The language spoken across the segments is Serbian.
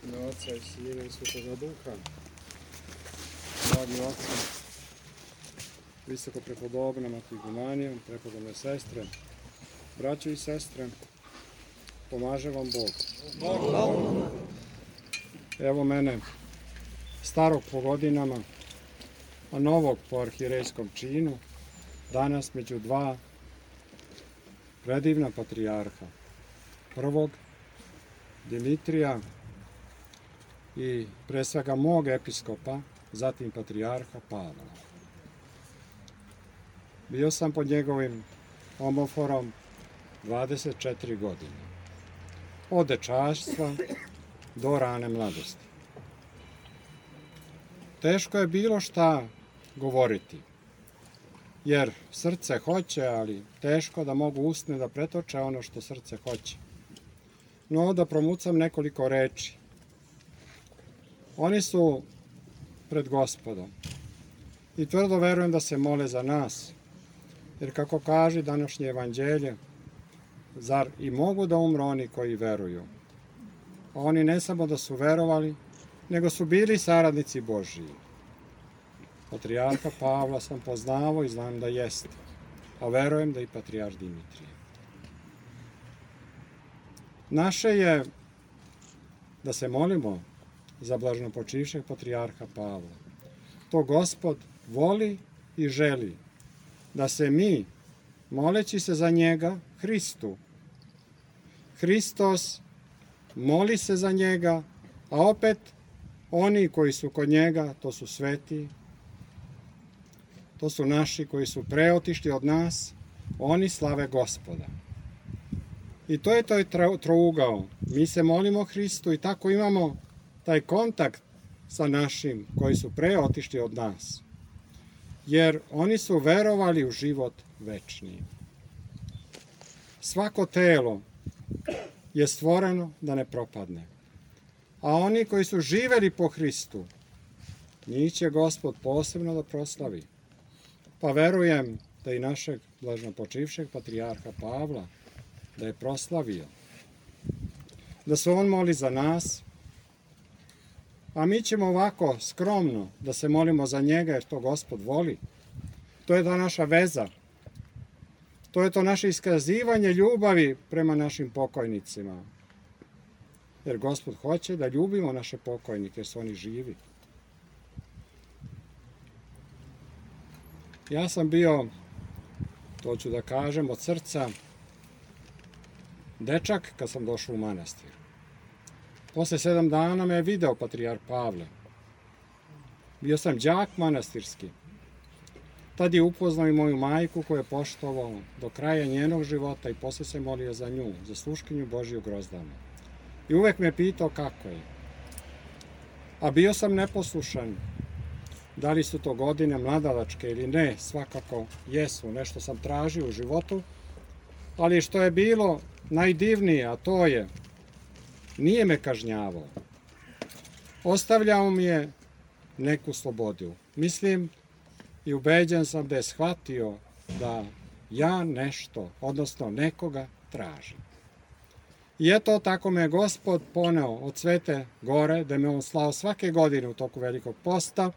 ime Oca i Sina i Svetoga Duha. Dragi oci, visoko prepodobna Mati Igumanija, prepodobne sestre, braćo i sestre, pomaže vam Bog. Evo mene, starog po godinama, a novog po arhirejskom činu, danas među dva predivna patrijarha. Prvog, Dimitrija, i pre svega mog episkopa, zatim patrijarha Pavla. Bio sam pod njegovim omoforom 24 godine, od dečaštva do rane mladosti. Teško je bilo šta govoriti, jer srce hoće, ali teško da mogu usne da pretoče ono što srce hoće. No, da promucam nekoliko reči. Oni su pred Gospodom i tvrdo verujem da se mole za nas, jer kako kaže današnje evanđelje, zar i mogu da umru oni koji veruju? A oni ne samo da su verovali, nego su bili saradnici Božiji. Patrijarha Pavla sam poznavao i znam da jeste, a verujem da i patrijarh Dimitrije. Naše je da se molimo za blaženopočivšeg patrijarha Pavla. To Gospod voli i želi da se mi, moleći se za njega, Hristos moli se za njega, a opet oni koji su kod njega, to su sveti, to su naši koji su preotišli od nas, oni slave Gospoda. I to je taj trougao. Mi se molimo Hristu i tako imamo taj kontakt sa našim koji su preotišli od nas. Jer oni su verovali u život večni. Svako telo je stvoreno da ne propadne. A oni koji su živeli po Hristu, njih će Gospod posebno da proslavi. Pa verujem da i našeg blaženopočivšeg patrijarha Pavla da je proslavio. Da se on moli za nas, a mi ćemo ovako skromno da se molimo za njega jer to Gospod voli. To je ta naša veza. To je to naše iskazivanje ljubavi prema našim pokojnicima. Jer Gospod hoće da ljubimo naše pokojnike jer su oni živi. Ja sam bio, to ću da kažem, od srca dečak kad sam došao u manastir. Posle 7 dana me je video patrijarh Pavle. Bio sam đak manastirski. Tad je upoznao i moju majku koju je poštovao do kraja njenog života i posle se molio za nju, za sluškinju Božiju Grozdanu. I uvek me pitao kako je. A bio sam neposlušan. Da li su to godine mladalačke ili ne, svakako jesu. Nešto sam tražio u životu, ali što je bilo najdivnije, a to je, nije me kažnjavao. Ostavljao mi je neku slobodu. Mislim i ubeđen sam da je shvatio da ja nešto, odnosno nekoga tražim. I eto, tako me je Gospod poneo od Svete Gore, da me on slao svake godine u toku Velikog posta,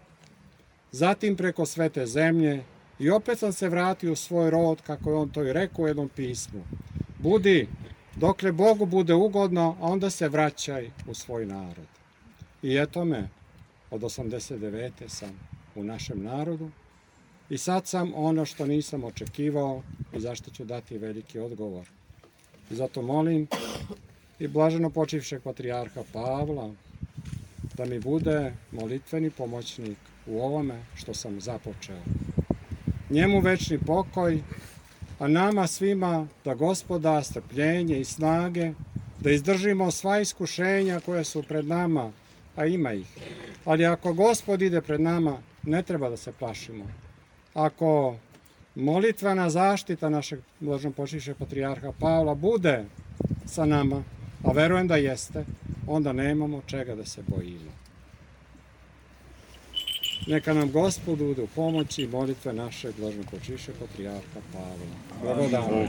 zatim preko Svete zemlje i opet sam se vratio u svoj rod, kako je on to i rekao u jednom pismu. Budi, dokle Bogu bude ugodno, a onda se vraćaj u svoj narod. I eto me, od 89. sam u našem narodu i sad sam ono što nisam očekivao i zašto ću dati veliki odgovor. I zato molim i blaženopočivšeg patrijarha Pavla da mi bude molitveni pomoćnik u ovome što sam započeo. Njemu večni pokoj, a nama svima da Gospod da strpljenje i snage, da izdržimo sva iskušenja koja su pred nama, a ima ih. Ali ako Gospod ide pred nama, ne treba da se plašimo. Ako molitvena zaštita našeg blaženopočivšeg patrijarha Pavla bude sa nama, a verujem da jeste, onda nemamo čega da se bojimo. Neka nam Gospod bude u pomoći i molitve našeg blaženopočivšeg patrijarha Pavla. Blagodarom.